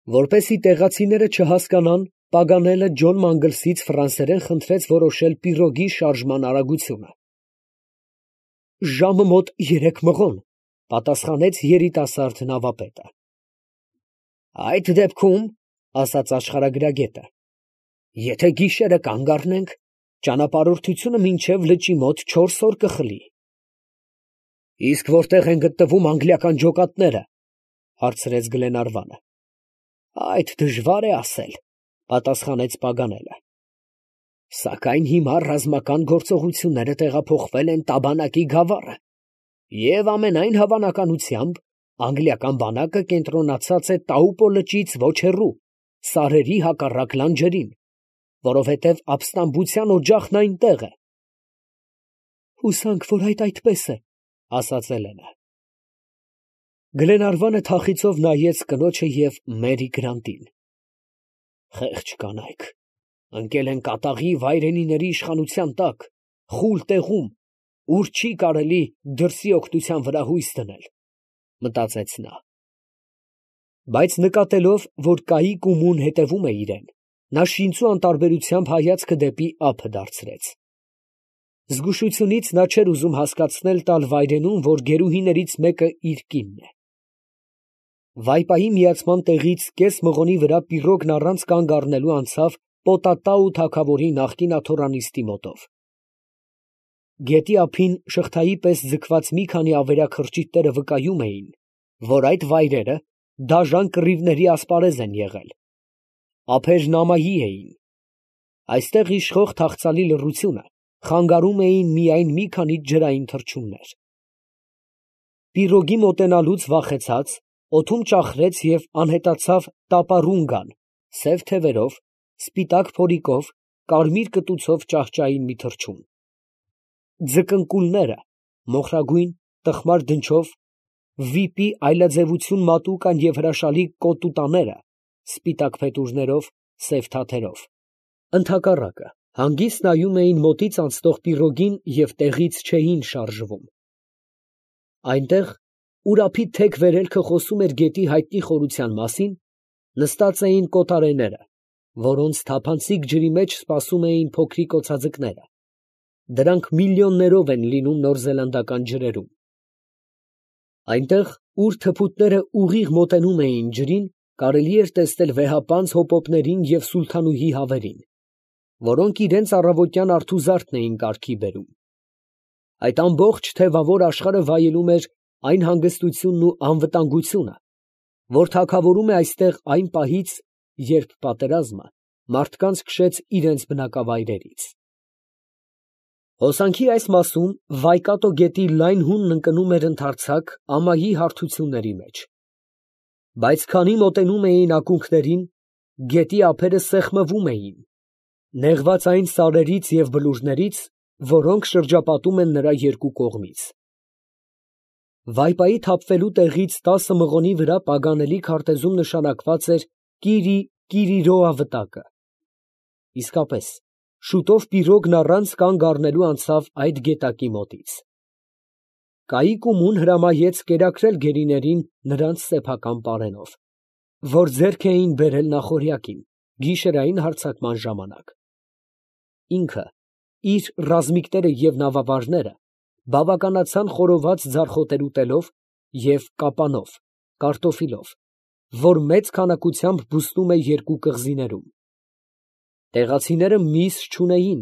Որպեսզի տեղացիները չհասկանան, Պագանելը Ջոն Մանգլսից ֆրանսերեն խնդրեց որոշել պիրոգի շարժման արագությունը։ «Ժամը մոտ 3 մղոն», պատասխանեց երիտասարդ նավապետը։ «Այդ դեպքում, ֊ ասաց աշխարհագրագետը, ֊ եթե գիշերը կանգ առնենք, ճանապարհորդությունը մինչև լճի մոտ 4 օր կխլի»։ «Իսկ որտե՞ղ են գտնվում անգլիական ջոկատները, ֊ հարցրեց Գլենարվանը։ ֊ Այդ դժվար է ասել, ֊ պատասխանեց Պագանելը։ Սակայն հիմա ռազմական գործողությունները տեղափոխվել են Տաբանակի գավառը, և ամենայն հավանականությամբ անգլիական բանակը կենտրոնացած է Տաուպո լճից ոչ հեռու, սարերի հակառակ լանջերին, որովհետև ապստամբության օջախն այնտեղ է։ ֊ Հուսանք, որ այդ այդպես է, ֊ ասաց Էլենը։ Գլենարվանը թախիծով նայեց կնոջը և Մերի Գրանտին։ Խեղճ կանայք, ընկել են կատաղի վայրենիների իշխանության տակ, խուլ տեղում, ուր չի կարելի դրսի օգնության վրա հույս դնել, մտածեց նա։ Բայց նկատելով, որ կայիկ ու մուն հետևում է իրան, նա շինծու անտարբերությամբ հայացքը դեպի ափը դարձրեց։ Զգուշությունից նա չէր ուզում հասկացնել տալ վայրենուն, որ գերուհիներից մեկը իր կինն է։ Վայպայի միացման տեղից կես մղոնի վրա պիրոգն առանց կանգ առնելու անցավ Պոտատաու թագավորի նախկին աթոռանիստի մոտով։ Գետի ափին շղթայի պես ձգված մի քանի ավերակ խրճիթները վկայում էին, որ այդ վայրերը դաժան կռիվների ասպարեզ են եղել։ Ափերն ամայի էին։ Այստեղ իշխող թախծալի լռությունը խանգարում էին միայն մի քանի ջրային թռչուններ։ Պիրոգի մոտենալուց վախեցած, օդում ճախրեց և անհետացավ տապարունգան, սև թևերով, սպիտակ փորիկով, կարմիր կտուցով ճահճային մի թռչուն։ Ձկնկուլները, մոխրագույն, տխմար դնչով, վիպի այլաձևություն մատուկան և հրաշալի կոտուտաները, սպիտակ փետուրներով, սև թաթերով, ընդհակառակը, հանգիստ նայում էին մոտից անցնող պիրոգին և տեղից չէին շարժվում։ Այնտեղ, ուր ափի թեք վերելքը խոսում էր գետի հայտնի խորության մասին, նստած էին կոտարեները, որոնց թափանցիկ ջրի մեջ սպասում էին փոքրիկ օձաձկները. դրանք միլիոններով են լինում նորզելանդական ջրերում։ Այնտեղ, ուր թփուտները ուղիղ մոտենում էին ջրին, կարելի էր տեսնել վեհապանծ հոպոպներին և սուլթանուհի հավերին, որոնք իրենց առավոտյան արթուզարդն էին կարգի բերում։ Այդ ամբողջ թևավոր աշխարհը վայելում էր այն հանգստությունն ու անվտանգությունը, որ թագավորում է այստեղ այն պահից, երբ պատերազմը մարդկանց քշեց իրենց բնակավայրերից։ Հոսանքի այս մասում Վայկատո գետի լայն հունն ընկնում էր ընդարձակ ամայի հարթությունների մեջ։ Բայց քանի մոտենում էին ակունքներին, գետի ափերը սեղմվում էին, նեղված այն սարերից և բլուրներից, որոնք շրջապատում են նրա երկու կողմից։ Վայպայի թափվելու տեղից 10 մղոնի վրա Պագանելի քարտեզում նշանակված էր Կիրի Կիրիրոա վտակը։ Իսկապես, շուտով պիրոգն առանց կանգ առնելու անցավ այդ գետակի մոտից։ Կայիկ ու մուն հրամայեց կերակրել գերիներին նրանց սեփական պարենով, որ ձեռք էին բերել նախօրյակին, գիշերային հարձակման ժամանակ։ Ինքը, իր ռազմիկները և նավավարները բավականացան խորոված ձարխոտեր ուտելով և կապանով, կարտոֆիլով, որ մեծ քանակությամբ բուստում է երկու կղզիներում։ Տեղացիները միս չունեին,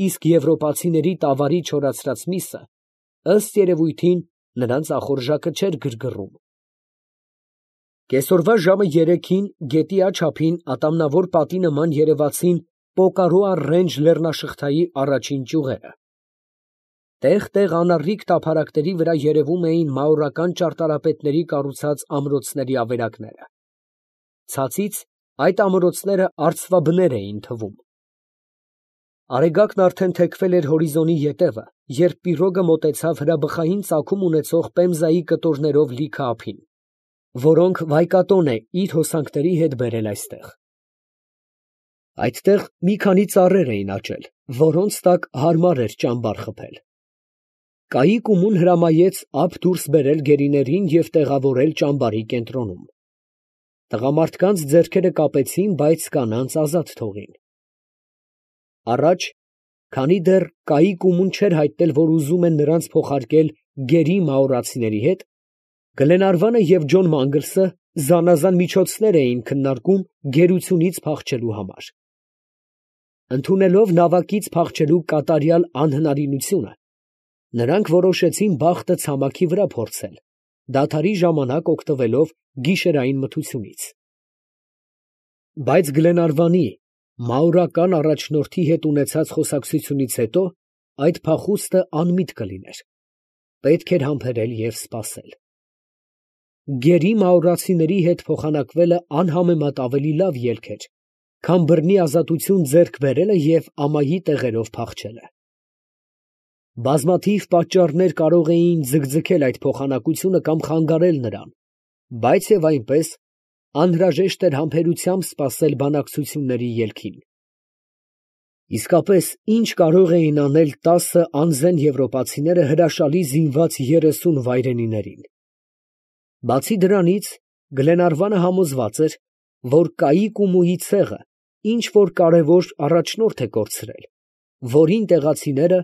իսկ եվրոպացիների տավարի չորացրած միսը, ըստ երևույթին, նրանց ախորժակը չէր գրգռում։ Կեսօրվա ժամը 3-ին գետի աջ ափին ատամնավոր պատի նման երևացին Պոկարոա Ռենջ լեռնաշղթայի առաջին ճյուղերը։ Տեղ֊տեղ անառիկ տափարակների վրա երևում էին մաորական ճարտարապետների կառուցած ամրոցների ավերակները։ Ցածից այդ ամրոցները արծվաբներ էին թվում։ Արեգակն արդեն թեքվել էր հորիզոնի ետևը, երբ պիրոգը մոտեցավ հրաբխային ծագում ունեցող Պեմզայի կտորներով լիքը ափին, որոնք Վայկատոն է իր հոսանքների հետ բերել այստեղ։ Այդտեղ մի քանի ծառեր էին աճել, որոնց տակ հարմար էր ճամբար խփել։ Կայիկ ու մուն հրամայեց ափ դուրս բերել գերիներին և տեղավորել ճամբարի կենտրոնում։ Տղամարդկանց ձեռքերը կապեցին, բայց կանանց ազատ թողին։ Առաջ, քանի դեռ կայիկ ու մուն չէր հայտնել, որ ուզում են նրանց փոխարկել գերի մաորացիների հետ, Գլենարվանը և Ջոն Մանգլսը զանազան միջոցներ էին քննարկում գերությունից փախչելու համար։ Ընդունելով նավակից փախչելու կատարյալ անհնարինությունը, նրանք որոշեցին բախտը ցամաքի վրա փորձել, դադարի ժամանակ օգտվելով գիշերային մթությունից։ Բայց Գլենարվանի մաուրական առաջնորդի հետ ունեցած խոսակցությունից հետո այդ փախուստը անմիտ կլիներ, պետք էր համբերել և սպասել։ Գերի մաուրացիների հետ փոխանակվելը անհամեմատ ավելի լավ ելք էր, քան բռնի ազատություն ձեռք բերելը և ամայի տեղերով փախչելը։ Բազմաթիվ պատճառներ կարող էին ձգձգել այդ փոխանակությունը կամ խանգարել նրան, բայց և այնպես անհրաժեշտ էր համբերությամբ սպասել բանակցությունների ելքին։ Իսկապես, ինչ կարող էին անել 10 անզեն եվրոպացիները հրաշալի զինված 30 վայրենիներին։ Բացի դրանից, Գլենարվանը համոզված էր, որ կայիկ ու մուի ցեղը ինչ որ կարևոր առաջնորդ է կորցրել, որին տեղացիները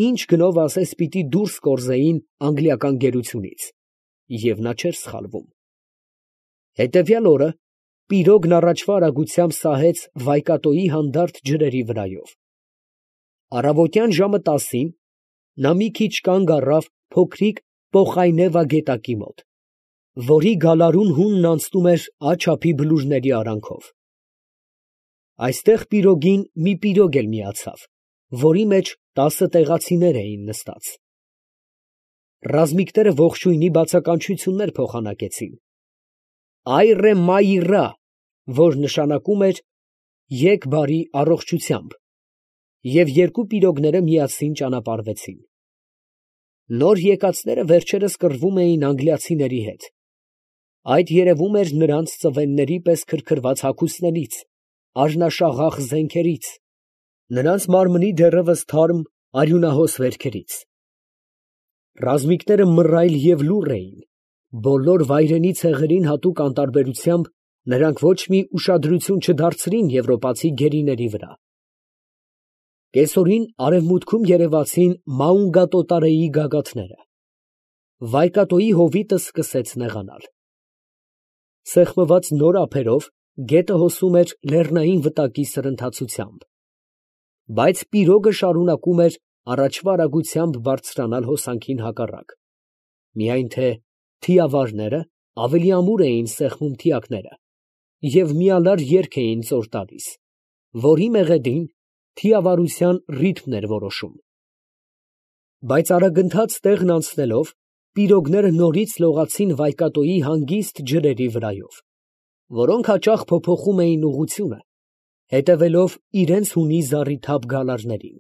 ինչ գնով ասես պիտի դուրս կորզեին անգլիական գերությունից, և նա չէր սխալվում։ Հետևյալ օրը պիրոգն առաջվա արագությամբ սահեց Վայկատոյի հանդարտ ջրերի վրայով։ Առավոտյան ժամը 10-ին նա մի քիչ կանգ առավ փոքրիկ Պոխայնևա գետակի մոտ, որի գալարուն հունն անցնում էր աջափի բլուրների արանքով։ Այստեղ պիրոգին մի պիրոգ էլ միացավ, որի մեջ 10 տեղացիներ էին նստած։ Ռազմիկները ողջույնի բացականչություններ փոխանակեցին. «Այռե մայիռա», որ նշանակում էր «եկ բարի առողջությամբ», և երկու պիրոգները միասին ճանապարհվեցին։ Նոր եկածները վերջերս կռվում էին անգլիացիների հետ։ Այդ երևում էր նրանց ծվենների պես քրքրված հագուստներից, արյունաշաղախ զենքերից, նրանց մարմնի դեռևս թարմ արյունահոս վերքերից։ Ռազմիկները մռայլ և լուռ էին, բոլոր վայրենի ցեղերին հատուկ անտարբերությամբ նրանք ոչ մի ուշադրություն չդարձրին եվրոպացի գերիների վրա։ Կեսօրին արևմուտքում երևացին Մաունգատոտարեի գագաթները։ Վայկատոյի հովիտը սկսեց նեղանալ։ Սեղմված նոր ափերով գետը հոսում էր լեռնային վտակի սրընթացությամբ, բայց պիրոգը շարունակում էր առաջվա արագությամբ բարձրանալ հոսանքին հակառակ, միայն թե թիավարները ավելի ամուր էին սեղմում թիակները և միալար երգ էին ծոր տալիս, որի մեղեդին թիավարության ռիթմն էր որոշում։ Բայց արագընթաց տեղն անցնելով, պիրոգները նորից լողացին Վայկատոյի հանգիստ ջրերի վրայով, որոնք հաճախ փոփոխում էին ուղղությունը, հետևելով իրենց հունի զառիթափ գալարներին։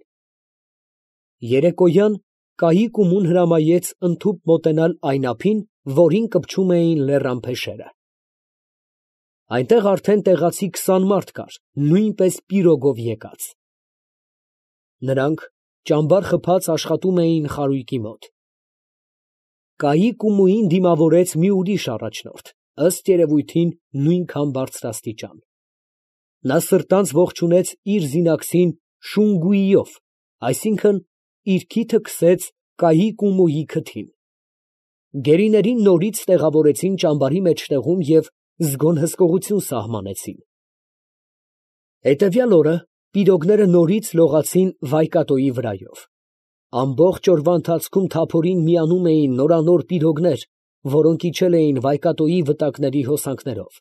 Երեկոյան կայիկ ու մուն հրամայեց ընդհուպ մոտենալ այն ափին, որին կպչում էին լեռան փեշերը։ Այնտեղ արդեն տեղացի 20 մարդ կար, նույնպես պիրոգով եկած։ Նրանք ճամբար խփած աշխատում էին խարույկի մոտ։ Կայիկ ու մուին դիմավորեց մի ուրիշ առաջնորդ, ըստ երևույթին նույնքան բարձրաստիճան։ Նա սրտանց ողջունեց իր զինակցին շունգուիով, այսինքն իր քիթը քսեց կայիկ ու մուի քթին։ Գերիներին նորից տեղավորեցին ճամբարի մեջտեղում և զգոն հսկողություն սահմանեցին։ Հետևյալ օրը պիրոգները նորից լողացին Վայկատոյի վրայով։ Ամբողջ օրվա ընթացքում թափորին միանում էին նորանոր պիրոգներ, որոնք իջել էին Վայկատոյի վտակների հոսանքներով։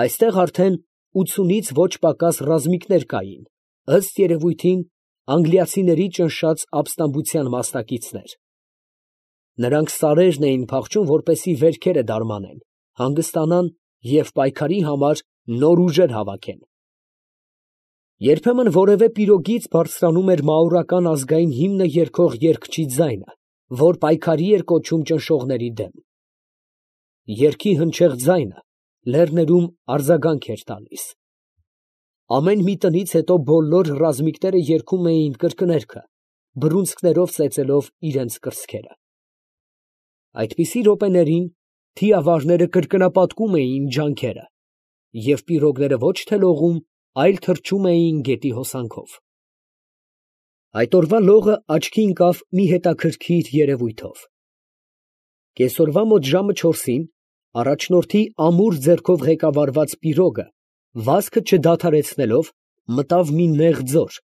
Այստեղ արդեն 80-ից ոչ պակաս ռազմիկներ կային, ըստ երևույթին անգլիացիների ճնշած ապստամբության մասնակիցներ։ Նրանք սարերն էին փախչում, որպեսզի վերքերը դարմանեն, հանգստանան և պայքարի համար նոր ուժեր հավաքեն։ Երբեմն որևէ պիրոգից բարձրանում էր մաուրական ազգային հիմնը երգող երգչի ձայնը, որ պայքարի էր կոչում ճնշողների դեմ։ Երգի հնչեղ ձայնը լեռներում արձագանք էր տալիս։ Ամեն մի տնից հետո բոլոր ռազմիկները երգում էին կրկներգը, բռունցքներով ծեծելով իրենց կրծքերը։ Այդպիսի րոպեներին թիավարները կրկնապատկում էին ջանքերը, և պիրոգները ոչ թե լողում, այլ թռչում էին գետի հոսանքով։ Այդ օրվա լողը աչքի ընկավ մի հետաքրքիր երևույթով։ Կեսօրվա մոտ ժամը 4-ին առաջնորդի ամուր ձեռքով ղեկավարված պիրոգը, վազքը չդադարեցնելով, մտավ մի նեղ ձոր,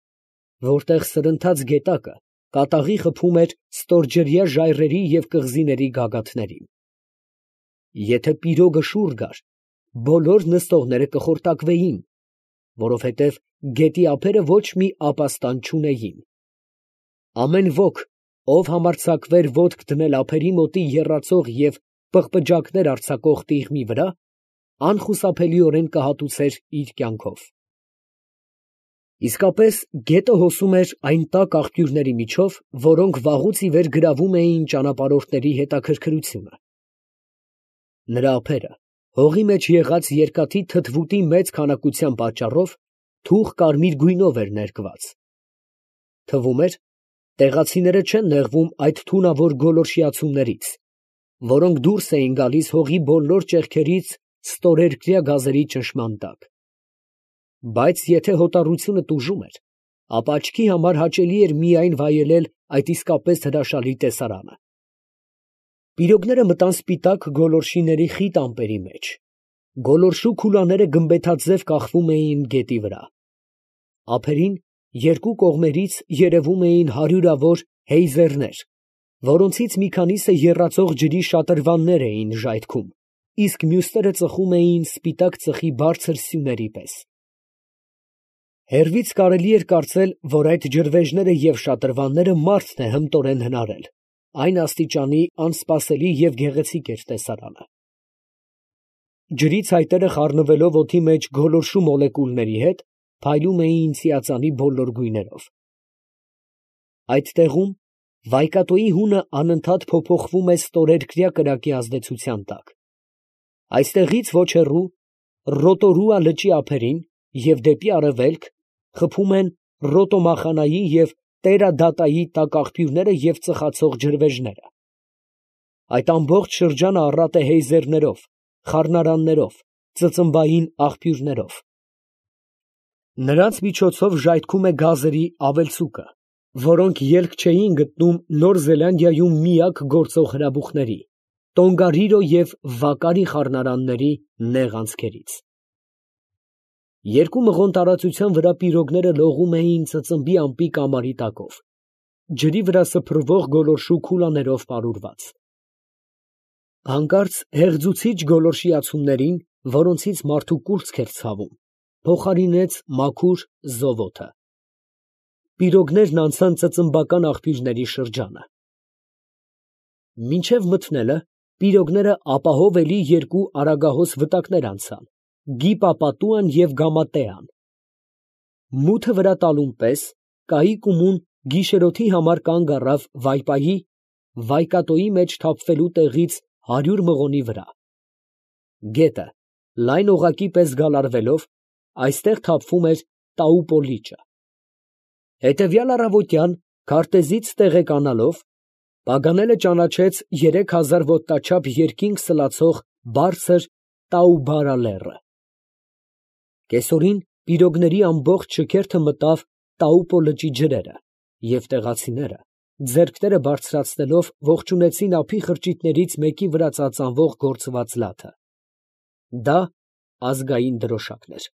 որտեղ սրընթաց գետակը կատաղի խփում էր ստորջրյա ժայռերի և կղզիների գագաթներին։ Եթե պիրոգը շուռ գար, բոլոր նստողները կխորտակվեին, որովհետև գետի ափերը ոչ մի ապաստան չունեին։ Ամեն ոք, ով համարձակվեր ոտք դնել ափերի մոտի եռացող և պղպջակներ արձակող տիղմի վրա, անխուսափելիորեն կհատուցեր իր կյանքով։ Իսկապես գետը հոսում էր այն տաք աղբյուրների միջով, որոնք վաղուց ի վեր գրավում էին ճանապարհորդների հետաքրքրությունը։ Նրա ափերը, հողի մեջ եղած երկաթի թթվուտի մեծ քանակության պատճառով, թուխ կարմիր գույնով էր ներկված։ Թվում էր, տեղացիները չեն նեղվում այդ թունավոր գոլորշիացումներից, որոնք դուրս էին գալիս հողի բոլոր ճեղքերից ստորերկրյա գազերի ճնշման տակ։ Բայց եթե հոտառությունը տուժում էր, ապա աչքի համար հաճելի էր միայն վայելել այդ իսկապես հրաշալի տեսարանը։ Պիրոգները մտան սպիտակ գոլորշիների խիտ ամպերի մեջ։ Գոլորշու քուլաները գմբեթաձև կախվում էին գետի վրա։ Ափերին երկու կողմերից երևում էին հարյուրավոր հեյզերներ, որոնցից մի քանիսը եռացող ջրի շատրվաններ էին ժայթքում, իսկ մյուսները ծխում էին սպիտակ ծխի բարձր սյուների պես։ Հեռվից կարելի էր կարծել, որ այդ ջրվեժները և շատրվանները մարդն է հմտորեն հնարել, այն աստիճանի անսպասելի և գեղեցիկ էր տեսարանը։ Ջրի ցայտերը խառնվելով օդի մեջ գոլորշու մոլեկուլների հետ, փայլում էին ծիածանի բոլոր գույներով։ Այդ տեղում վայկատոյի հունը անընդհատ փոփոխվում է ստորերկրյա կրակի ազդեցության տակ։ Այստեղից ոչ հեռու, Ռոտորուա լճի ափերին և դեպի արևելք խփում են Ռոտոմախանայի և Տերադատայի տաք աղբյուրները և ծխացող ջրվեժները։ Այդ ամբողջ շրջանը առատ է հեյզերներով, խառնարաններով, ծծմբային աղբյուրներով։ Նրանց միջոցով ժայթքում է գազերի ավելցուկը, որոնք ելք չէին գտնում Նոր Զելանդիայում միակ գործող հրաբուխների՝ Տոնգարիրո և Վակարի խառնարանների նեղ անցքերից։ Երկու մղոն տարածության վրա պիրոգները լողում էին ծծմբի ամպի կամարի տակով, ջրի վրա սփռվող գոլորշու քուլաներով պարուրված։ Հանկարծ հեղձուցիչ գոլորշիացումներին, որոնցից մարդու կուրծք էր ցավում, փոխարինեց մաքուր զովոթը։ Պիրոգներն անցան ծծմբական աղբյուրների շրջանը։ Մինչև մթնելը պիրոգները ապահով էլի երկու արագահոս վտակներ անցան՝ Գիպապատուան և Գամատեան։ Մութը վրա տալուն պես կայիկումուն գիշերօթի համար կանգ առավ Վայպայի Վայկատոյի մեջ թափվելու տեղից 100 մղոնի վրա։ Գետը, լայն օղակի պես գալարվելով, այստեղ թափվում էր Տաուպո լիճը։ Հետևյալ առավոտյան, քարտեզից տեղեկանալով, Պագանելը ճանաչեց 3000 ոտնաչափ երկինք սլացող բարձր Տաուբարա լեռը։ Կեսօրին պիրոգների ամբողջ շքերթը մտավ Տաուպո լճի ջրերը, և տեղացիները, ձեռքները բարձրացնելով, ողջունեցին ափի խրճիթներից մեկի վրա ծածանվող գործված լաթը։ Դա ազգային դրոշակն էր։